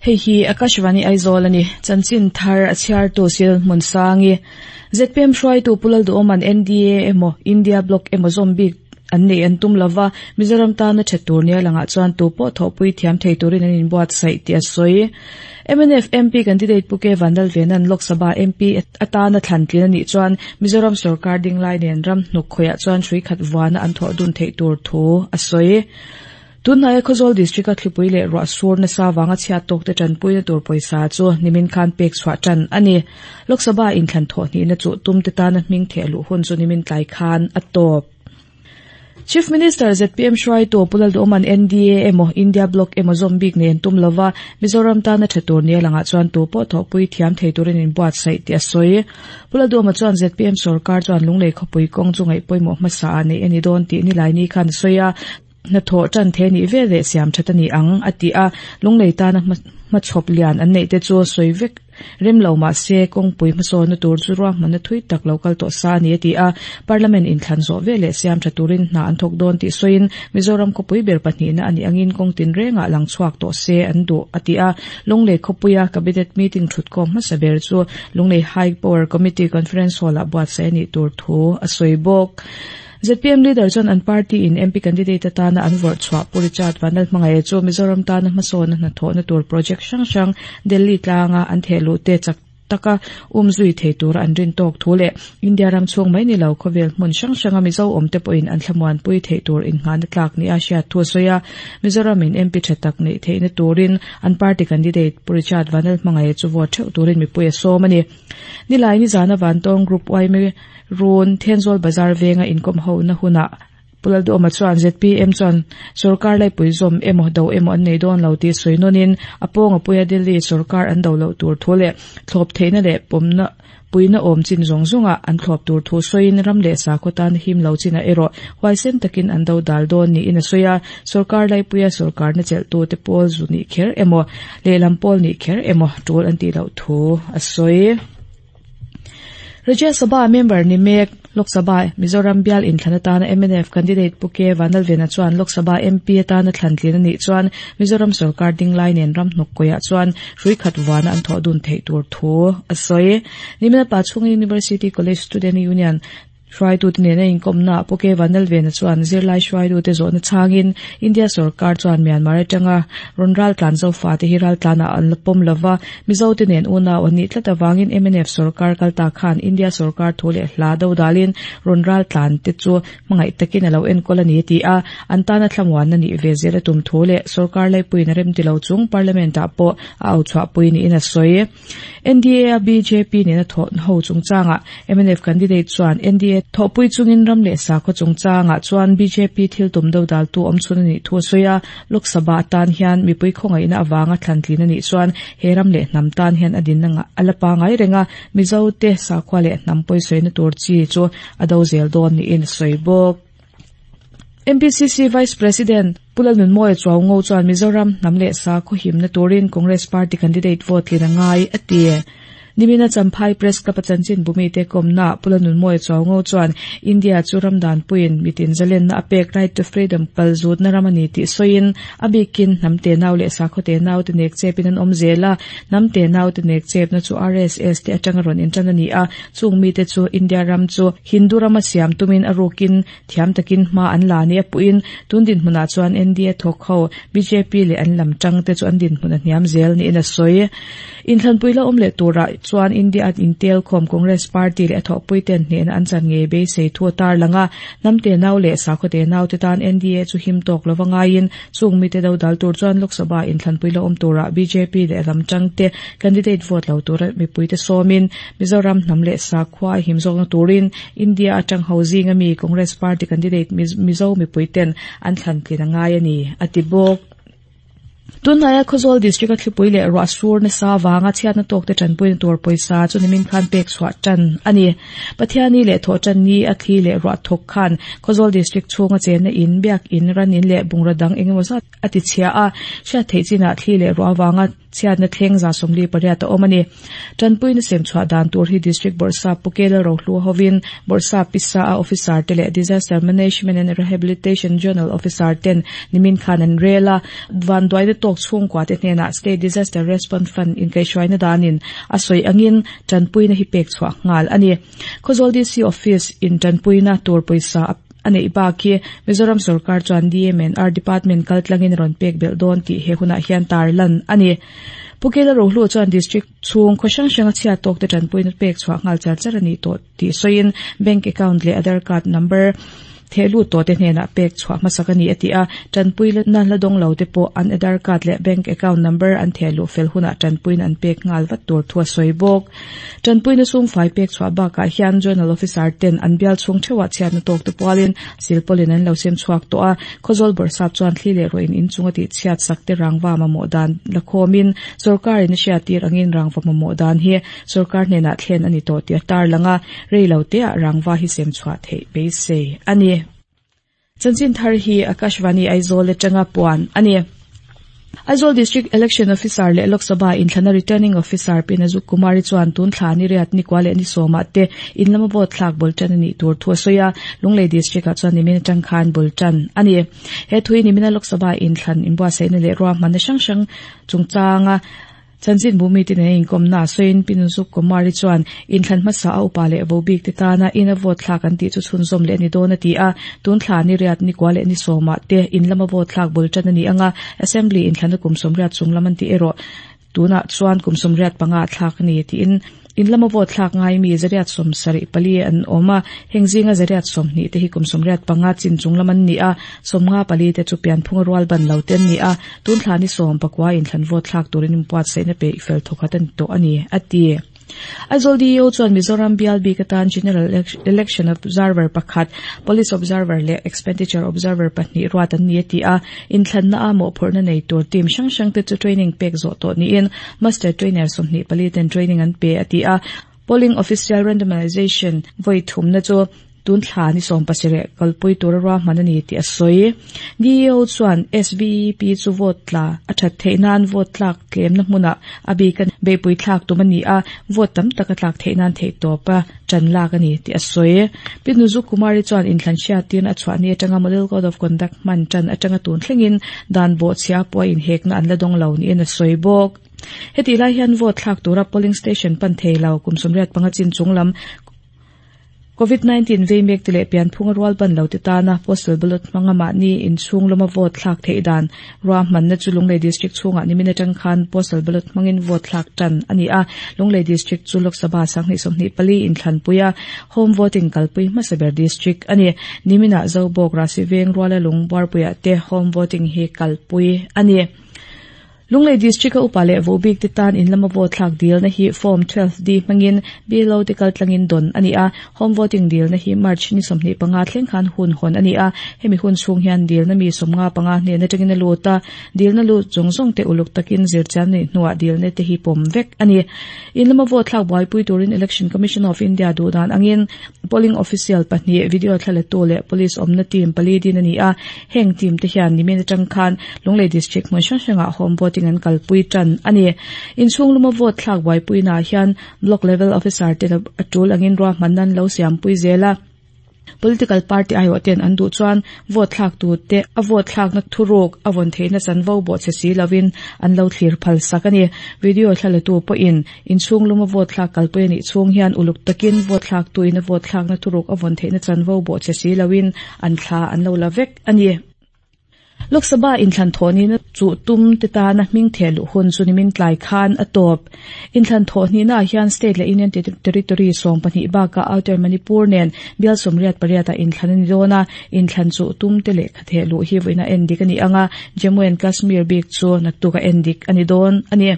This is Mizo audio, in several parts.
Hei hi Akashvani Aizawl a ni. Chanchin thar a chhiartu Sil Hmunsangi. ZPM hruaitu Pu Lalduhawma'n NDA emaw India Bloc emaw zawm bik an neih an tum lova, Mizoram tana tha tur nia langah chuan tupawh thawhpui thiam thei turin an inbuatsaih tih a sawi. Mnf MP candidate Pu K Vanlalvena'n Lok Sabha MP atana thlan tlin a nih chuan Mizoram sorkar dinglai nen ram hnuk khawiah chuan hrui khat vuana an thawh dun theih tur thu a sawi. Tunhnaia Khawzawl District-a thlipui leh ruah sur nasa vanga chhiat tawkte tanpuina tur pawisa chu nimin khan pek chhuah tan a ni. Lok Sabha inthlan thawh hnihna chu tumte tana hming theh luh hun chu nimin tlai khan a tawp. Chief Minister zpm hruaitu Pu Lalduhawma'n NDA emaw India Bloc emaw zawm bik nen tum lova Mizoram tana tha tur nia langah chuan tupawh thawhpui thiam thei turin inbuatsaih tih a sawi. Pu Lalduhawma chuan zpm sorkar chuan Lunglei khawpui kawng chu ngaihpawimawh hmasa ah neih a ni dawn tih Nilaini khan a sawi a. Hnathawh tan the nih vel leh siam that a ni ang, a ti a. Lunglei tana hmachhawp lian an neih te chu sawi vek rem lo mah se, kawngpui hmasawnna tur chu ruahmanna thui tak lo kal tawh sa a ni, a ti a. Parliament inthlan zawh vel leh siam tha turin hna an thawk dawn tih sawiin, Mizoram khawpui ber pahnihna a nih angin kawng tinrengah lang chhuak tawh se an duh, a ti a. Lunglei khawpuia Cabinet meeting thutkhawm hmasa ber chu Lunglei High Power Committee Conference Hall-ah buatsaih a nih tur thu a sawi bawk. Zpm leader chuan an party in MP candidate atana an vawrh chhuah Pu Richard Vanlalhmangaia chu Mizoram tana hmasawnna hnathawhna tur project hrang hrang Delhi tlanga an thehluh te chak taka umzui thei tura an rin tawk thu leh India ram chhung mai ni lo khawvel hmun hrang hranga Mizo awmte pawhin an thlamuanpui theih tur innghahna tlak nia hriat thu a sawi a. Mizoram in MP tha tak neih theihna turin an party candidate Pu Richard Vanlalhmangaia chu vote theuh turin mipui a sawm a ni. Nilai nizana Vantawng Group yma Run, Thenzawl Bazar venga inkawm hona hunah Pu Lalduhawma chuan zpm chuan sorkar laipui zawm emaw do emaw an nei dawn lo tih sawi nawnin a pawnga puia Delhi sorkar an do loh tur thu leh thlawp theihna leh pawmna puina awm chin zawng zawngah an thlawp tur thu sawiin ram leh sakhaw tan him lo chinah erawh huaisen takin an do dal dawn niin a sawi a. Sorkar laipuia sorkarna chelhtute pawl zu nih kher emaw lehlam pawl nih kher emaw tul an tih loh thu a sawi. Rajya Sabha member ni mek, Lok Sabha Mizoram bial inthlan atana mnf candidate Pu K Vanlalvena chuan Lok Sabha MP atana thlan tlin a nih chuan Mizoram sorkar dinglai nen ram hnuk kawiah chuan hrui khat vuana an thawh dun theih tur thu a sawi. Nimina Pachhunga University College Student Union Hruaitute nena inkawmnaah Pu K Vanlalvena chuan zirlai hruaitute zawhna chhangin India sorkar chuan Myanmar atanga rawn raltlan zofate hi raltlanah an la pawm lova, Mizote nen unau an nih tlat avangin mnf sorkar kal ta khan India sorkar thu leh hla dodalin rawn raltlan te chu hmangaih takin a lo enkawl a ni ti a, an tana thlamuanna nih ve zel a tum thu leh sorkar laipuiin a remti lo chung Parliament-ah pawh a auchhuahpui niin a sawi. NDA a bjp nena thawh ho chungchangah mnf candidate chuan NDA thawhpui chungin ram leh sakhaw chungchangah chuan bjp thil tum dodaltu awm chhun a nih thu a sawi a, Lok Sabha atan hian mipui khawngaihna avanga thlantlin a nih chuan he ram leh hnam tan hian a dinna a la pangai reng a, Mizo te sakhua leh hnam pawisawina tur chi chu a do zel dawn niin a sawi bawk. MPCC Vice President Pu Lalnunmawia Chuaungo chuan Mizoram hnam leh sakhaw himna turin Congress Party candidate vote tlin a ngai, a ti. Nimina Champhai Press Club-a chanchin bumite kawmnaah Pu Lalnunmawia Chuaungo chuan India chu ram danpuiin mitin zalenna a pek Right to Freedom kal zutna ram a ni tih sawiin a bikin hnam tenau leh sakhaw tenau te nek chepin an awm zel a, hnam tenau te nek chepna chu RSS te atanga rawn intan a ni a, chung mite chu India ram chu Hindu rama siam tumin a rukin Thiam takin hma an la ni a puhin tun dinhmunah chuan NDA thawk ho, bjp leh an lam tang te chu an dinhmun a hniam zel niin a sawi. Inthlanpui la awm leh turah chuan India an intel khawm Congress party leh a thawhpui ten hnehna an chan ngei beisei thu a tarlang a, hnam tenau leh sakhaw tenau te tan NDA chu him tawk lova ngaiin chung mite dodal tur chuan Lok Sabha inthlanpui la awm turah bjp leh a lam tang te candidate vote lo tura mipuite sawmin Mizoram hnam leh sakhua a him zawkna turin India atang ho zinga mi Congress Party candidate Mizo mipuiten an thlan tlin a ngai a ni, a ti bawk. Tunhnaia Khawzawl District-a thlipui leh ruah sur nasa avanga chhiatna tawkte tanpuina tur pawisa chu nimin khan pek chhuah tan a ni. Pathiani leh Thawhtanni a thli leh ruah thawk khan Khawzawl District chhunga chenna in, biak in, ran in leh bungraw dang engemaw zat a ti chhia a, hriat theih chinah thli leh ruah avanga Chhiatna thleng 48 a awm a ni. Tanpuina sem chhuah dan tur hi District Bawrhsap Pu Kela Rohlu hovin Bawrhsap Pisa a Officer te leh Disaster Management and Rehabilitation Zonal Officer ten nimin khan an rel a. Vanduaina tawk tawk chhungkua te hnenah State Disaster Response Fund inkaihhruaina danin a sawi angin tanpuina hi pek chhuah nghal a ni. Khawzawl DC Office in tanpuina tur pawisa a neih bak hi Mizoram sorkar chuan DMNR Department kaltlangin a rawn pek belh dawn tih he hunah hian tarlan a ni. Pu Kela Rohlu chuan District chhung khaw hrang hranga chhiat tawkte tanpuina pek chhuah nghal char char a nih tawh tih sawiin Bank Account leh Aadhar Card number theh lut tawhte hnenah pek chhuah hmasak a ni a ti a, tanpuina la dawng lo te pawh an Aadhar Card leh Bank Account number an theh luh fel hunah tanpuina an pek nghal vat tur thu a sawi bawk. Tanpuina sumfai pek chhuah bakah hian Zonal Officer ten an bial chhung theuhah chhiatna tawk te pualin silpawlin an lo sem chhuak tawh a, Khawzawl Bawrhsap chuan thli leh rawhin inchung a tih chhiat sak te rangva mamawh dan la khawmin sorkarin a hriattir angin rangva mamawh dan hi sorkar hnenah thlen a ni tawh tih a tarlang a, rei lo teah rangva hi sem chhuah theih beisei a ni. Chanchin thar hi Akashvani Aizawl atanga puan a ni. Aizawl District Election Officer leh Lok Sabha inthlana Returning Officer Pi Nazuk Kumari chuan tun thla ni riat ni kua leh ni sawmah te in lama vote thlak bul tan a nih tur thu a sawi a, Lunglei District ah chuan nimin atang khan bul tan a ni. He thu hi nimina Lok Sabha inthlan inbuatsaihna leh ruahmanna hrang hrang chungchanga Chanchin bu mite nena inkawmna a sawiin Pi Nunzuk Kumari chuan inthlan hmasa a upa leh vo bik te tana ina vote thlak an tih chu chhunzawm leh a ni dawn a ti a, tun thla ni riat ni kua leh ni sawmah te in lama vote thlak bul tan a ni ang a, Assembly inthlana kum sawmriat chung lam an tih erawh tunah chuan kum 85 a thlak a ni tiin In lama vote thlak ngaimi zariat 74 an awm a, heng zinga zariat 20 te hi kum 85 chin chung lam an ni a, 54 te chu pianphunga rual ban lo te an ni a, tun thla ni 19 inthlan vote thlak turin inbuatsaihna pe fel thawkhat a ni tawh a ni, a ti. Aizawl DEO chuan Mizoram bial bik atan General Election Observer pakhat, Police Observer leh Expenditure Observer pahnih ruat an ni a ti a, inthlanna a mawhphurhna nei tur team hrang hrang te chu training pek zawh tawh niin Master Trainer 24 ten training an pe a ti a, Polling Official Randomisation vawi thumna chu tun thla ni 17 kalpui tura ruahman a ni tih a sawi. DEO chuan SVEP chu vote tla a that theih nan vote tlak tlemna hmunah a bik a beihpui thlak tum a ni a, vote tam tak a tlak theih nan theihtawp a tan lak a ni tih a sawi. Pi Nuzu Kumari chuan inthlan hriattirna a chhuah ni atanga Model Code of Conduct hman tan atanga tun thlengin dan bawhchhia pawh a inhekna an la dawng lo niin a sawi bawk. Hetih lai hian vote thlak tura polling station pan thei lo kum 85 chin chung lam Covid 19 vei mek te leh pianphunga rual ban lo te tana postal ballot hmanga mahni inchhung lawma vote thlak theih dan ruahmanna chu Lunglei District chhungah nimin atang khan postal ballot hmangin vote thlak tan a ni a. Lunglei District chu Lok Sabha 2024 inthlanpui a home voting kalpui hmasa ber district a ni. Niminah Zobawk, Rahsiveng, Ruala Lung, Buarpuiah te home voting hi kalpui a ni. Lunglei District-a upa leh vohbik te tan in lama vote thlak dilna hi Form 12D hmangin BLO te kaltlangin dawn a ni a, Home Voting dilna hi March ni 25 thleng khan hun hawn a ni a, hemi hun chhung hian dilna mi 55 hnen atangin a lut a, dilna lut zawng zawng te uluk takin zirchian neih hnuah dilna te hi pawm vek a ni. In lama vote thlak buaipui turin Election Commission of India duhdan angin Polling Official pahnih, video thlalatu leh Police awmna team pali din a ni a, Heng team te hian nimin atang khan Lunglei District hmun hrang hrangah home voting an kalpui tan a ni. Inchhung luma vote thlak buaipuinaah hian Block Level Officer ten a tul angin ruahmanna an lo siampui zel a. Political party aiawh ten an duh chuan vote thlak tute a vote thlakna thuruk a vawn theihna chanvo bawhchhe si lovin an lo thlir phal sak a ni. Video thlalatu pawhin Inchhung luma vote thlak kalpui a nih chhung hian uluk takin vote thlaktuin a vote thlakna thuruk a vawn theihna chanvo bawhchhe si loin an thla an lo la vek a ni. Lok Sabha inthlan thawhnihna chuh tum te tana hming theh luh hun chu nimin tlai khan a tawp. Inthlan thawhnihnaah hian State leh Union Territory 12 bakah Outer Manipur nen bial 88 ah inthlan a ni dawn a, inthlan chuh tum te lehkha theh luh hi vawiina endik a ni ang a, Jammu and Kashmir bik chu naktuk a endik a ni dawn a ni.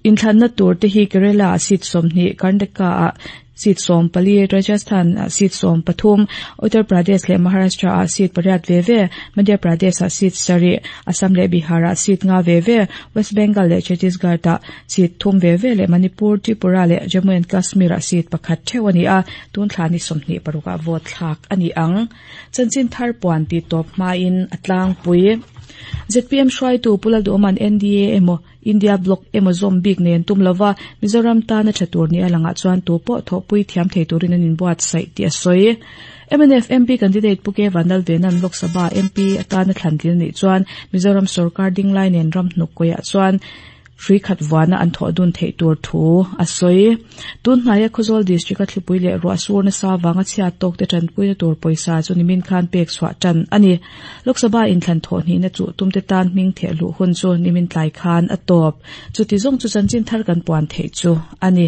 Inthlanna tur te hi Kerala ah seat 20, Karnataka ah seat 14, Rajasthan ah seat 13, Uttar Pradesh leh Maharashtra ah seat pariat ve ve, Madhya Pradesh ah seat sarih, Assam leh Bihar ah seat nga ve ve, West Bengal leh Chhattisgarh ah seat thum ve ve leh Manipur, Tripura leh Jammu and Kashmir ah seat pakhat theuh a ni a, tun thla ni 26 ah vote thlak a ni ang. Chanchin thar puan tih tawp hmain a tlangpui. Zpm hruaitu Pu Lalduhawma'n NDA emaw, India bloc emaw zawm bik nen tum lova Mizoram tana tha tur nia langah chuan tu pawh thawhpui thiam thei turin an inbuatsaih tih a sawi. Mnf MP candidate Pu K Vanlalvena'n Lok Sabha MP atana thlan tlin anih chuan Mizoram sorkar dinglai nen ram hnuk kawiah chuan hrui khat vuana an thawh dun theih tur thu a sawi. Tun hnaia Khawzawl District-a thlipui leh ruah sur nasa vanga chhiat tawkte tanpuina tur pawisa chu nimin khan pek chhuah tan a ni. Lok Sabha inthlan thawh hnihna chuh tumte tan hming thehluh hun chu nimin tlai khan a tawp. Chuti zawng chu chanchin thar kan puan theih chu a ni.